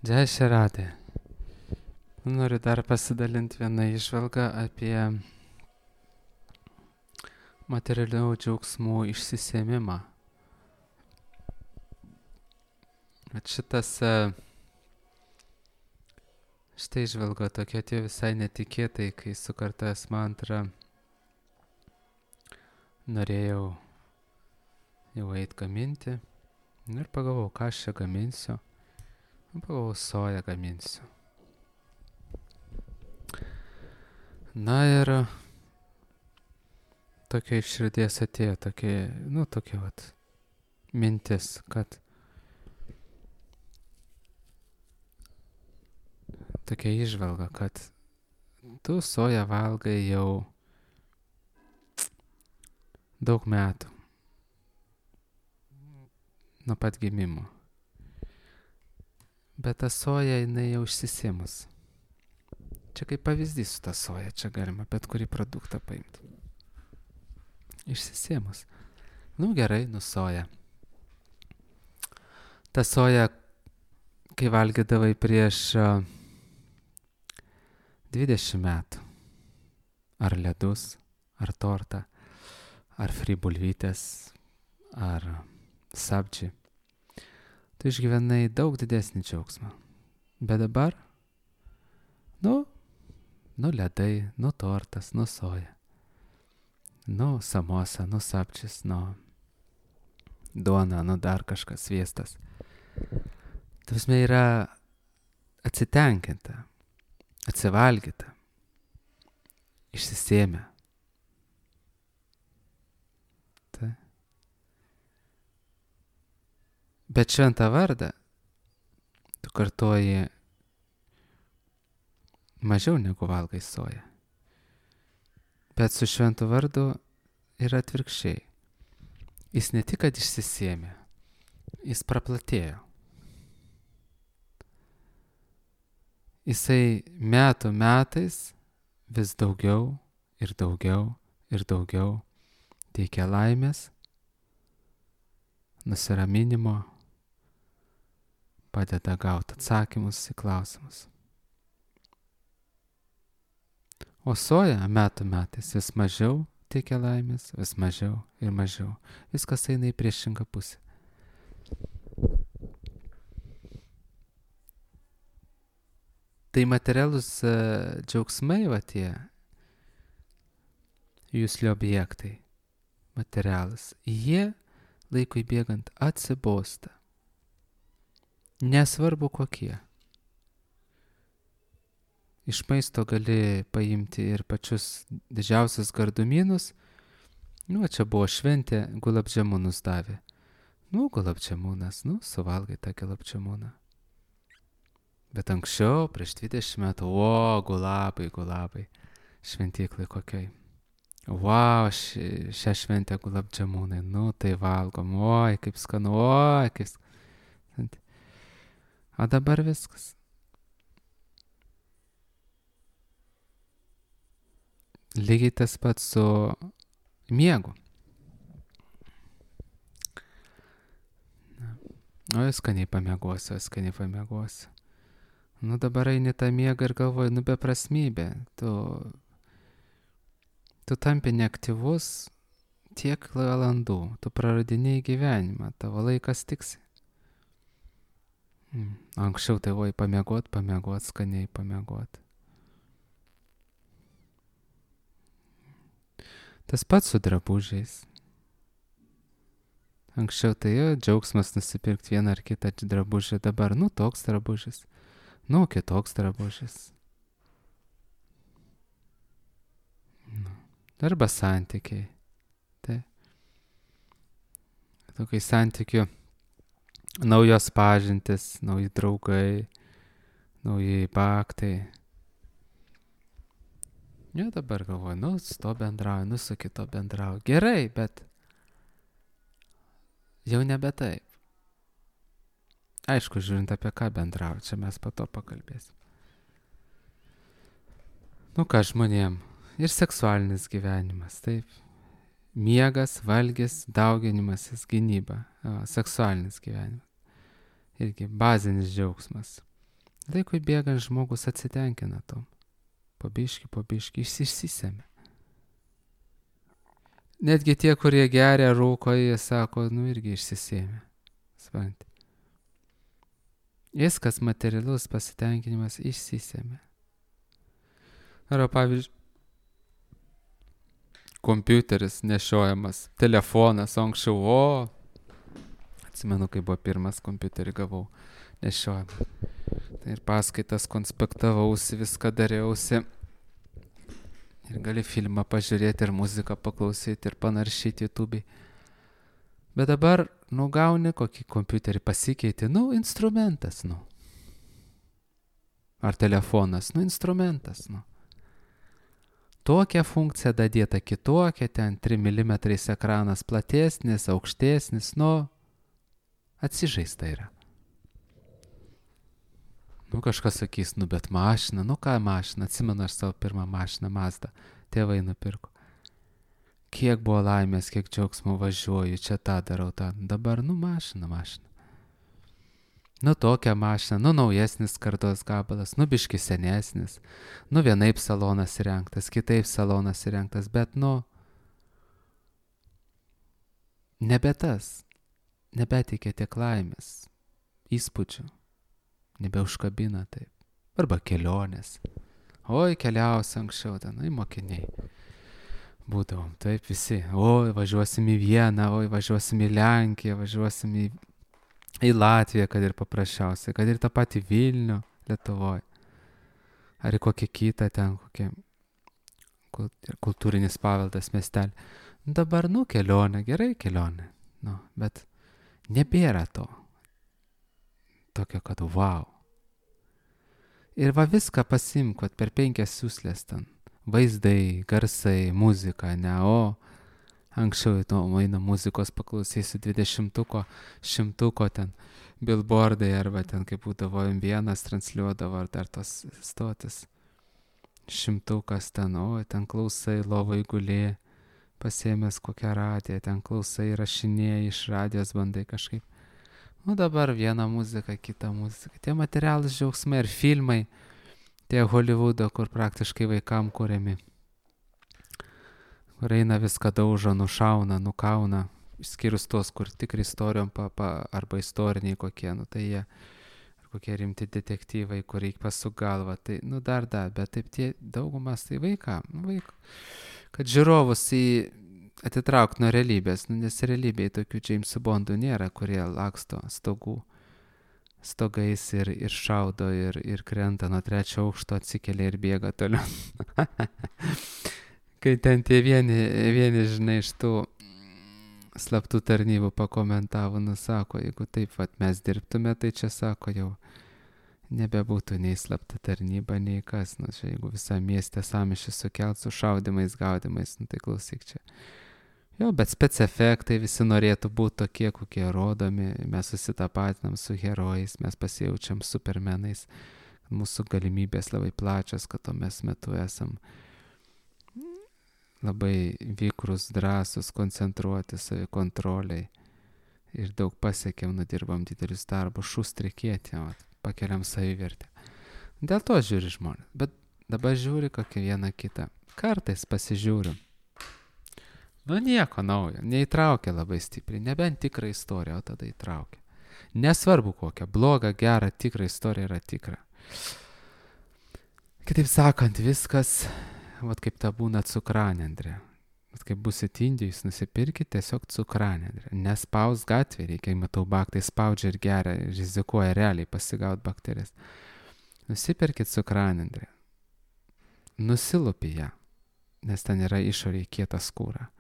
Jai Šeradė. Noriu dar pasidalinti vieną įžvalgą apie materialių džiaugsmų išsisėmimą. Štai įžvalga tokia atėjo visai netikėtai, kai sukartas mantrą norėjau jau eit gaminti. Ir pagalvojau, ką aš čia gaminsiu. Pagalvojau, soją gaminsiu. Na ir tokia iš širdies atėjo, tokia vat mintis, kad tokia įžvalga, kad tu soją valgai jau daug metų. Nuo pat gimimo. Bet ta soja, jinai jau išsisėmus. Čia kaip pavyzdys su ta soja, čia galima bet kurį produktą paimti. Išsisėmus. Gerai, soja. Ta soja, kai valgydavai prieš 20 metų. Ar ledus, ar tortą, ar fribulvytės, ar sabdži. Tu išgyvenai daug didesnį džiaugsmą. Bet dabar, ledai, tortas, soja, samosa, sabdžis, duona, dar kažkas, sviestas. Tausme yra atsitenkinta, atsivalgyta, išsisėmę. Bet šventą vardą tu kartoji mažiau negu valgai soją. Bet su šventu vardu yra atvirkščiai. Jis ne tik, kad išsisėmė, jis praplatėjo. Jisai metų metais vis daugiau ir daugiau ir daugiau teikia laimės, nusiraminimo, padeda gauti atsakymus į klausimus. O soja metų metais vis mažiau teikia laimės, vis mažiau ir mažiau. Viskas eina į priešingą pusę. Tai materialūs džiaugsmai, tie jūsli objektai, materialūs, jie laikui bėgant atsibosta. Nesvarbu kokie. Iš maisto gali paimti ir pačius didžiausius gardumynus. Čia buvo šventė, gulabdžiamunus davė. Gulabdžiamunas, suvalgai tą gulabdžiamuną. Bet anksčiau, prieš 20 metų, gulabai, šventyklai kokiai. Šią šventę gulabdžiamunai, tai valgom, kaip skanu, kaip skanu. O dabar viskas. Lygiai tas pats su miegu. Skaniai pamiegosiu. Dabar eini tą miegą ir galvoji, beprasmybė. Tu tampi neaktyvus tiek valandų, tu praradinėjai gyvenimą, tavo laikas tiksi. Anksčiau tai pamiegot, skaniai pamiegot. Tas pats su drabužiais. Anksčiau tai džiaugsmas nusipirkti vieną ar kitą drabužį, dabar toks drabužis, kitoks drabužis. Arba santykiai. Tokiai santykių naujos pažintis, nauji draugai, nauji baktai. Dabar galvoju, su to bendrauju, su kito bendrauju. Gerai, bet jau nebe taip. Aišku, žiūrint apie ką bendrauju, čia mes po to pakalbėsim. Ką žmonėm? Ir seksualinis gyvenimas, taip. Miegas, valgis, dauginimasis, gynyba. Seksualinis gyvenimas. Irgi bazinis džiaugsmas. Laikui bėgant žmogus atsitenkina tom. Pabiški, išsisėmė. Netgi tie, kurie geria, rūko, jie sako, irgi išsisėmė. Supranti. Viskas materialus pasitenkinimas išsisėmė. Arba pavyzdžiui, kompiuteris nešiojamas, telefonas, anksčiau, atsimenu, kai buvo pirmas kompiuterį gavau nešiojamą. Tai ir paskaitas konspektavausi, viską dariausi. Ir gali filmą pažiūrėti, ir muziką paklausyti, ir panaršyti YouTube'ai. Bet dabar, gauni kokį kompiuterį, pasikeiti, instrumentas, Ar telefonas, instrumentas, Tokia funkcija dadėta kitokia, ten 3 mm ekranas platesnis, aukštesnis, atsižaista yra. Kažkas sakys, bet mašina, ką mašina, atsimenu aš savo pirmą mašiną Mazdą, tėvai nupirko. Kiek buvo laimės, kiek džiaugsmo važiuoju, čia tą darau, tą. Dabar, mašina. Tokia mašina, naujesnis kartos gabalas, biški senesnis, vienaip salonas įrengtas, kitaip salonas įrengtas, bet, nebe tas, nebeteikia tiek laimės, įspūdžių, nebeužkabina taip, arba kelionės. Oi, keliausi anksčiau, mokiniai. Būdavom, taip visi, važiuosim į Vieną, važiuosim į Lenkiją, važiuosim į Latviją, kad ir paprasčiausiai, kad ir tą patį Vilnių Lietuvoje. Ar į kokį kitą ten, kokie kultūrinis paveldas miestelį. Dabar, kelionė, gerai kelionė, bet nebėra to. Tokio, kad wow. Ir viską pasimk, per 5 siūslės ten. Vaizdai, garsai, muzika, anksčiau eina muzikos paklausysiu 20-ko, 100-ko ten billboardai, arba ten, kaip būdavo M1 transliuodavo, ar dar tos stotis. 100-kas ten, ten klausai, lovai gulė, pasiėmęs kokią radiją, ten klausai, rašinėjai, iš radijos bandai kažkaip. Dabar viena muzika, kita muzika. Tie materialūs džiaugsmai ir filmai, tie Hollywoodo, kur praktiškai vaikam kuriami. Kur eina viską daužo, nušauna, nukauna, išskyrus tos, kur tikri istorijom arba istoriniai kokie, tai jie, ar kokie rimti detektyvai, kur reikia pasuk galvą, tai, dar, bet taip tie daugumas tai vaikam, kad žiūrovus atitraukti nuo realybės, nes realybėje tokių Jamesų Bondų nėra, kurie laksto stogais ir šaudo ir krenta nuo 3 aukšto, atsikelia ir bėga toliau. Kai ten tie vieni, žinai, iš tų slaptų tarnybų pakomentavo, sako, jeigu taip mes dirbtume, tai čia, sako, jau nebebūtų nei slapta tarnyba, nei kas, čia jeigu visą miestę sąmyšį sukelt su šaudimais, gaudimais, tai klausyk čia. Jo, bet spec efektai visi norėtų būti tokie, kokie rodomi, mes susitapatinam su herojais, mes pasijaučiam supermenais, mūsų galimybės labai plačios, kad to mes metu esam labai vykrus, drąsus, koncentruoti savikontroliai ir daug pasiekėm, nudirbam didelius darbus, šustrikėti, pakeliam savivertę. Dėl to žiūri žmonės, bet dabar žiūri kokią vieną kitą. Kartais pasižiūrim. Nieko naujo, neįtraukia labai stipriai, nebent tikrą istoriją, o tada įtraukia. Nesvarbu kokią, blogą, gerą, tikrą istoriją yra tikra. Kitaip sakant, viskas, kaip ta būna cukranendrė. Kaip busit Indijos, nusipirkit tiesiog cukranendrę. Nespaus gatvė, reikia, matau, baktai spaudžia ir geria, rizikuoja realiai pasigauti bakterijas. Nusipirkit cukranendrę. Nusilupi ją, nes ten yra išoriai kieta skūra.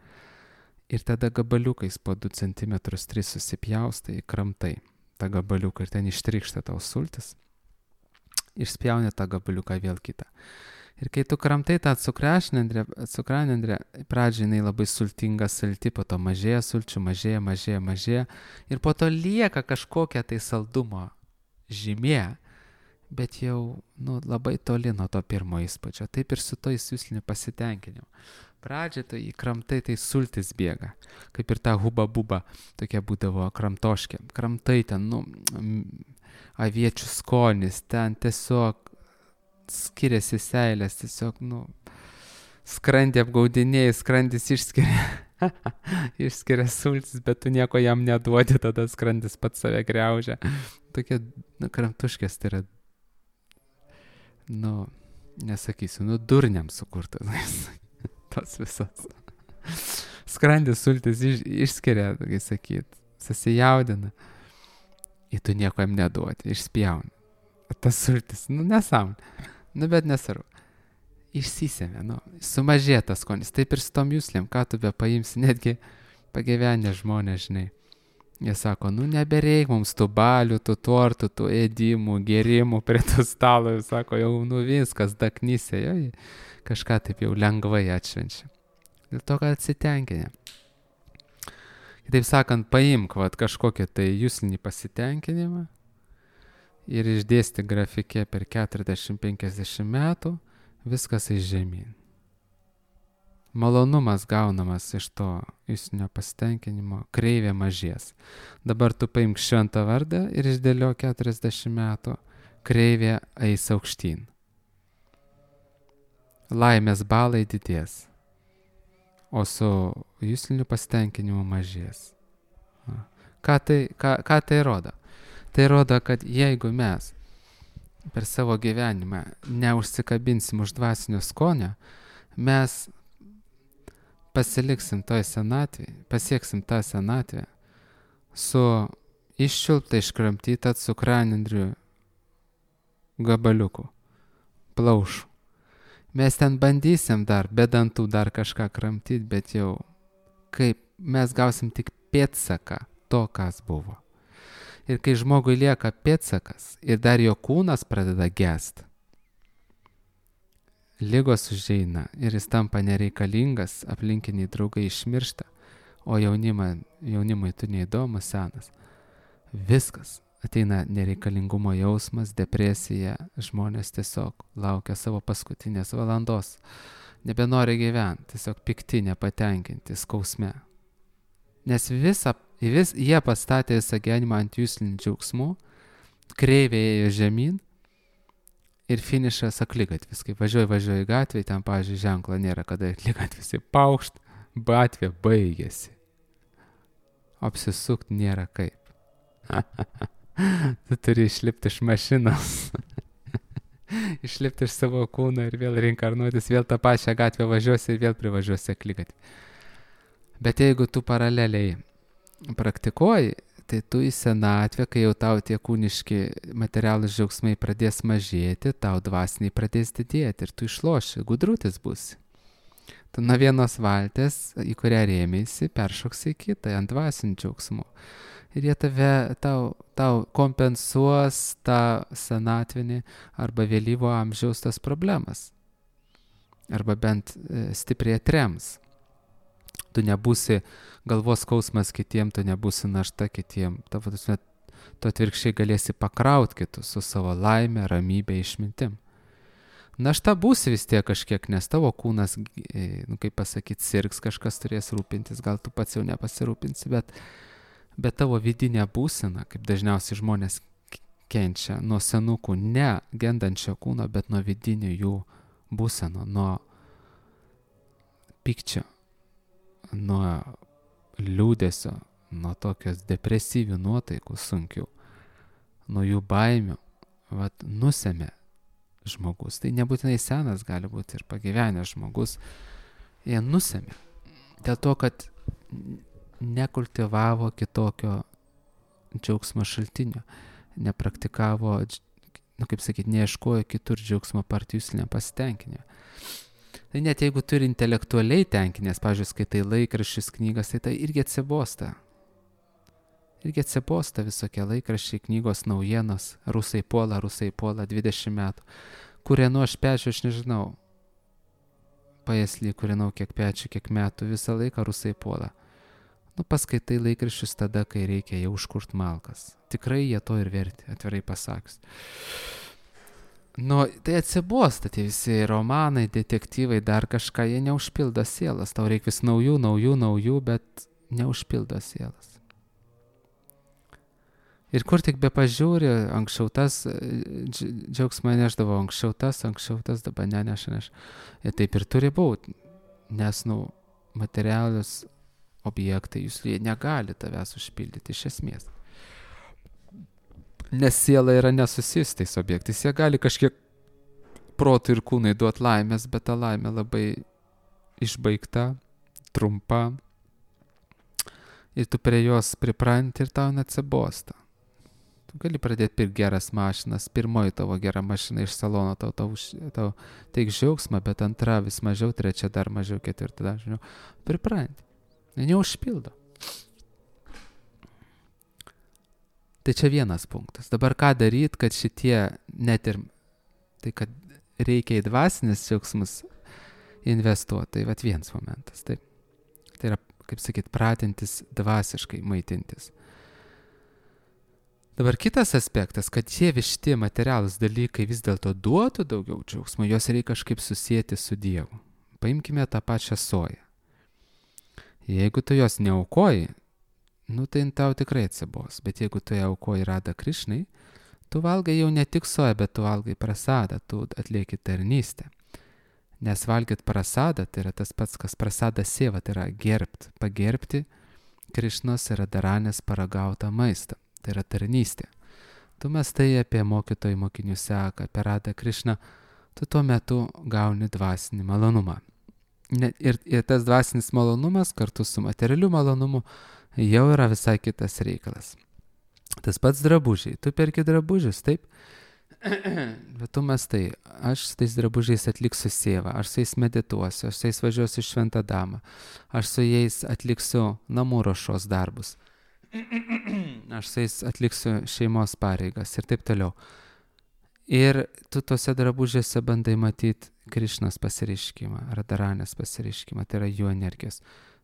Ir tada gabaliukais po 2 cm 3 susipjaustai, kramtai tą gabaliuką ir ten ištrykšta tau sultis. Išspjauni tą gabaliuką vėl kitą. Ir kai tu kramtai tą cukranendrę, pradžiai jinai labai sultinga, salti, po to mažėja sulčių, mažėja. Ir po to lieka kažkokia tai saldumo žymė, bet jau labai toli nuo to pirmo įspūdžio. Taip ir su to įsiusliniu pasitenkinimu. Pradžiai tai kramtai, tai sultis bėga. Kaip ir ta huba buba, tokia būdavo kramtoškė. Kramtai ten, aviečių skonis, ten tiesiog skiriasi seilės, tiesiog, skrandį apgaudinėjai, skrandis išskiria sultis, bet tu nieko jam neduodi, tada skrandis pats save griaužia. Tokie, kramtuškės tai yra, nesakysiu, durniam sukurtas, tos visos. Skrandis sultis išskiria, kai sakyt, susijaudina. Ir tu nieko jam neduodi, išspjauni. Tas sultis, nesąmonė. Bet nesvarbu. Išsisėmė, sumažė tas skonis. Taip ir su tom juslėm, ką tu be paimsi, netgi pagyvenę žmonės, žinai. Jie sako, nebereik mums tų balių, tų tortų, tų ėdimų, gerimų prie tų stalo. Jis sako, jau viskas, daknysė, jau kažką taip jau lengvai atšvenčia. Dėl to, kad atsitenkinė. Kitaip sakant, paimk kažkokį tai juslinį pasitenkinimą ir išdėsti grafike per 40-50 metų, viskas žemyn. Malonumas gaunamas iš to juslinio pasitenkinimo, kreivė mažės. Dabar tu paimk šventą vardą ir išdėlio 40 metų, kreivė eis aukštyn. Laimės balai didės, o su jusliniu pasitenkinimu mažės. Ką tai rodo? Tai rodo, kad jeigu mes per savo gyvenimą neužsikabinsim už dvasinio skonio, mes pasiliksim toj senatvėje, pasieksim tą senatvę su iščiulpta, iškramtyta cukranendrių gabaliuku, plaušu. Mes ten bandysim dar, be dantų dar kažką kramtyti, bet jau kaip mes gausim tik pėdsaką to, kas buvo. Ir kai žmogui lieka pėdsakas ir dar jo kūnas pradeda gest, ligos užeina ir jis tampa nereikalingas, aplinkiniai draugai išmiršta, o jaunimui tu neįdomus, senas. Viskas. Ateina nereikalingumo jausmas, depresija, žmonės tiesiog laukia savo paskutinės valandos, nebenori gyventi, tiesiog pikti, nepatenkinti, skausme. Nes jie pastatė visą gyvenimą ant juslinių džiaugsmų, kreivė ėjo žemyn ir finišas akligatvis. Kai važiuoji gatvėje, ten, pavyzdžiui, ženklo nėra, kada akligatvis paukšt, gatvė baigėsi. Apsisukt nėra kaip. Tu turi išlipti iš mašinos, išlipti iš savo kūno ir vėl reinkarnuotis, vėl tą pačią gatvę važiuosi ir vėl privažiuosi akligatvį. Bet jeigu tu paraleliai praktikuoji, tai tu į senatvę, kai jau tau tie kūniški materialūs džiaugsmai pradės mažėti, tau dvasiniai pradės didėti ir tu išloši, gudrutis būsi. Tu nuo vienos valties, į kurią rėmėsi, peršoksi į kitą, ant dvasinių džiaugsmų. Ir jie tau kompensuos tą senatvinį arba vėlyvo amžiaus tas problemas. Arba bent stipriai atrems. Tu nebūsi galvos skausmas kitiem, tu nebūsi našta kitiem. Tu atvirkščiai galėsi pakrauti kitus su savo laime, ramybė, išmintim. Našta būsi vis tiek kažkiek, nes tavo kūnas, kaip pasakyti, sirgs, kažkas turės rūpintis, gal tu pats jau nepasirūpinsi, bet tavo vidinė būsena, kaip dažniausiai žmonės kenčia nuo senukų, ne gendančio kūno, bet nuo vidinių jų būseno, nuo pykčio, nuo liūdesio, nuo tokios depresyvių nuotaikų sunkių, nuo jų baimių, nusemė žmogus. Tai nebūtinai senas, gali būti ir pagyvenęs žmogus. Jie nusemė. Dėl to, kad nekultivavo kitokio džiaugsmo šaltinio, nepraktikavo, neieškojo kitur džiaugsmo partijuslinio pasitenkinio. Tai net jeigu turi intelektualiai tenkinės, pavyzdžiui, skaitai laikraščius, knygas, tai irgi atsibosta. Irgi atsibosta visokie laikraščiai, knygos, naujienos, rusai puola, 20 metų. Kūrenu aš pečiu, aš nežinau, paėslį, kūrenau kiek pečiu, kiek metų, visą laiką rusai puola. Paskaitai laikraščius tada, kai reikia jau užkurt malkas. Tikrai jie to ir verti, atvirai pasakius. Tai atsibosta tie visi romanai, detektyvai, dar kažką, jie neužpildo sielas. Tau reikia vis naujų, bet neužpildo sielas. Ir kur tik be pažiūri, anksčiau tas džiaugsmą neždavo, anksčiau tas, dabar neneša. Ir taip ir turi būti, nes, materialius objektai, jie negali tavęs užpildyti iš esmės. Nes siela yra nesusijus tais objektais, jie gali kažkiek protų ir kūnai duoti laimės, bet ta laimė labai išbaigta, trumpa, ir tu prie jos pripranti ir tau neatsibosta. Tu gali pradėti pirkti geras mašinas, pirmoji tavo gera mašina iš salono tau teik džiaugsmą, bet antra vis mažiau, trečia dar mažiau, ketvirta dar mažiau. Pripranti. Neužpildo. Tai čia vienas punktas. Dabar ką daryti, kad šitie net ir, tai kad reikia į dvasinius džiaugsmus investuoti, tai vienas momentas. Tai yra, kaip sakyt, pratintis dvasiškai maitintis. Dabar kitas aspektas, kad šie višti materialūs dalykai vis dėlto duotų daugiau džiaugsmo, juos reikia kažkaip susijęti su Dievu. Paimkime tą pačią soją. Jeigu tu jos neaukoji, tai tau tikrai atsibos. Bet jeigu tu ją aukoji Radha Krišnai, tu valgai jau ne tik soją, bet tu valgai prasadą, tu atlieki tarnystę. Nes valgyt prasadą tai yra tas pats, kas prasada seva, tai yra pagerbti Krišnos ir Radharanės paragautą maistą. Tai yra tarnystė. Tu mąstai apie mokytojų mokinių seką, apie Radha Krišną, tu tuo metu gauni dvasinį malonumą. Ir tas dvasinis malonumas kartu su materialiu malonumu jau yra visai kitas reikalas. Tas pats drabužiai. Tu perki drabužius, taip? Bet tu mąstai, aš su tais drabužiais atliksiu sėvą, aš su jais medituosiu, aš su jais važiuosiu Šventą Damą, aš su jais atliksiu namų ruošos darbus, aš su jais atliksiu šeimos pareigas ir taip toliau. Ir tu tose drabužiuose bandai matyti Krišnos pasireiškimą, Radharanės pasireiškimą, tai yra jų energijos.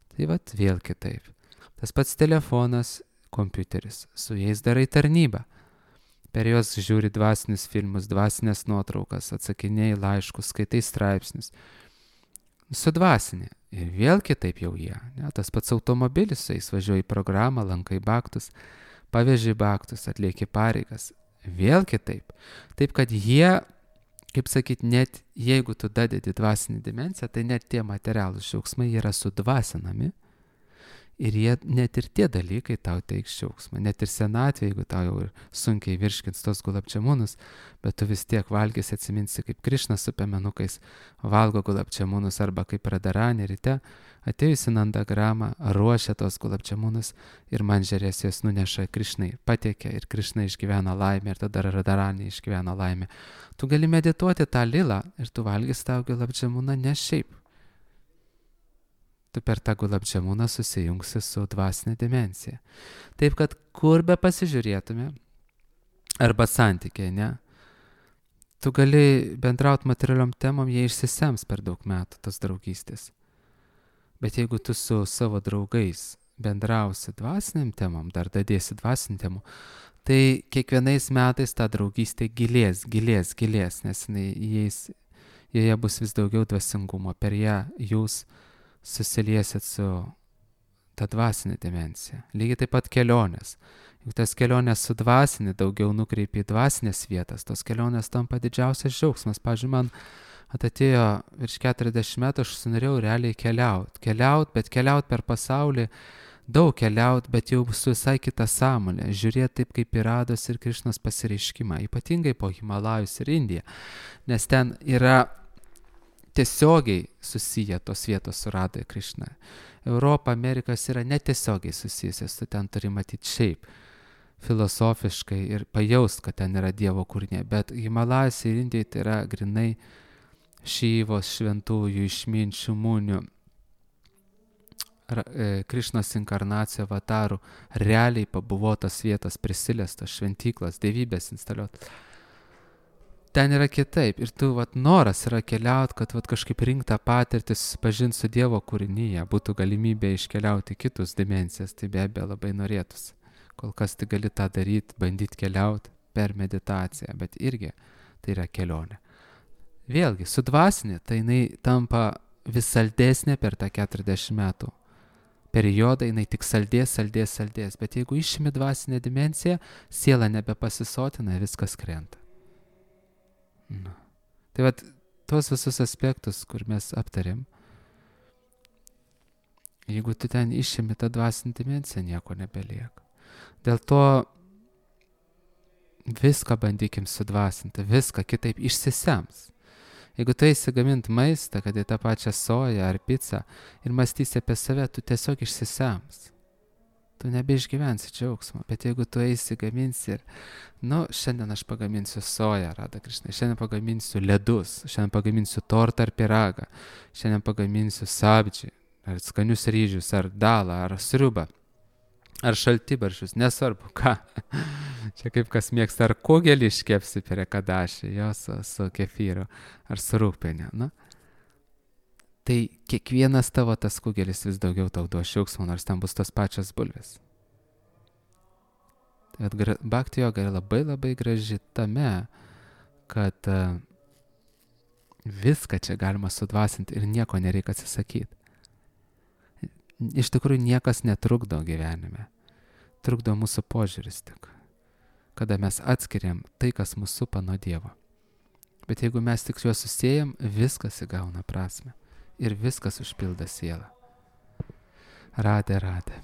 Tai vėl kitaip. Tas pats telefonas, kompiuteris, su jais darai tarnybą. Per juos žiūri dvasinius filmus, dvasinės nuotraukas, atsakinėjai laiškus, skaitai straipsnius. Sudvasinė. Ir vėl kitaip jau jie. Tas pats automobilis, su jais važiuoji į programą, lankai baktus, paveži baktus, atlieki pareigas. Vėl kitaip. Taip, kad jie, kaip sakyt, net jeigu tu dadedi dvasinį dimensiją, tai net tie materialūs džiaugsmai yra sudvasinami. Ir jie, net ir tie dalykai tau teiks džiaugsmą. Net ir senatvė, jeigu tau jau sunkiai virškins tos gulabčiamunus, bet tu vis tiek valgysi, atsiminsi, kaip Krišna su piemenukais valgo gulabčiamunus, arba kaip Radharanė ryte atėjusi Nandagramą ruošia tos gulabčiamunus ir manžerės jas nuneša Krišnai, patiekia ir Krišna išgyvena laimę ir tada Radharanė išgyvena laimę. Tu gali medituoti tą lilą ir tu valgys tą gulabčiamuną ne šiaip. Tu per tą gulabčiamuną susijungsi su dvasinė dimensija. Taip, kad kur be pasižiūrėtume, arba santykiai, ne? Tu gali bendrauti materialiom temom, jie išsisems per daug metų, tas draugystės. Bet jeigu tu su savo draugais bendrausi dvasiniam temom, dar dadėsi dvasiniam temom, tai kiekvienais metais ta draugystė gilės, nes joje bus vis daugiau dvasingumo. Per ją jūs susiliesit su ta dvasinė dimensija. Lygiai taip pat kelionės. Juk tas kelionės su dvasinė daugiau nukreipi į dvasinės vietas, tos kelionės tampa didžiausias džiaugsmas. Pavyzdžiui, man atėjo virš 40 metų, aš norėjau realiai keliaut, bet keliaut per pasaulį, daug keliaut, bet jau su visai kita sąmonė, žiūrėti taip kaip į Rados ir Krišnos pasireiškimą, ypatingai po Himalajus ir Indiją, nes ten yra tiesiogiai susiję tos vietos su Radha ir Krišna. Europa, Amerikos yra netiesiogiai susijusios, tu ten turi matyti šiaip, filosofiškai ir pajaust, kad ten yra Dievo kūriniai, bet Himalajus ir Indijai tai yra grinai Šyvos, šventųjų, išminčių, munių, Krišnos inkarnacijų avatarų, realiai pabuvotas vietas, prisilestas, šventyklas, dievybės instaliuotas. Ten yra kitaip ir tu noras yra keliauti, kad kažkaip rinktą patirtį, susipažinti su Dievo kūrinyje, būtų galimybė iškeliauti kitus dimensijas, tai be abejo labai norėtųsi. Kol kas tai gali tą daryti, bandyti keliauti per meditaciją, bet irgi tai yra kelionė. Vėlgi, su dvasinė, tai jinai tampa vis saldesnė per tą 40 metų periodą jinai tik saldės, bet jeigu išimi dvasinę dimensiją, siela nebepasisotina, viskas krenta. Nu. Tai vat, tuos visus aspektus, kur mes aptarėm, jeigu tu ten išimi tą dvasinę dimensiją, nieko nebelieka. Dėl to viską bandykim sudvasinti, viską kitaip išsisems. Jeigu tu eisi gaminti maistą, kad į tą pačią soją ar pizzą ir mąstysi apie save, tu tiesiog išsisems. Tu nebeišgyvensi džiaugsmo, bet jeigu tu eisi gaminsi ir, šiandien aš pagaminsiu soją, Radha Krišna, šiandien pagaminsiu ledus, šiandien pagaminsiu tortą ar pyragą, šiandien pagaminsiu sabdžį, ar skanius ryžius, ar dalą, ar sriubą, ar šaltibarščius, nesvarbu ką. Čia kaip kas mėgsta, ar kugelį iškepsi prie kadašį, su kefyru, ar su rūgpieniu. Tai kiekvienas tavo tas kugelis vis daugiau tau duos džiaugsmo, nors ten bus tos pačios bulvės. Tai bhakti joga yra labai labai graži tame, kad viską čia galima sudvasinti ir nieko nereikia atsisakyti. Iš tikrųjų niekas netrukdo gyvenime. Trukdo mūsų požiūris tik. Kada mes atskiriam tai, kas mūsų supa nuo Dievo. Bet jeigu mes tik juos susiejam, viskas įgauna prasmę. Ir viskas užpildo sielą. Radhe, Radhe.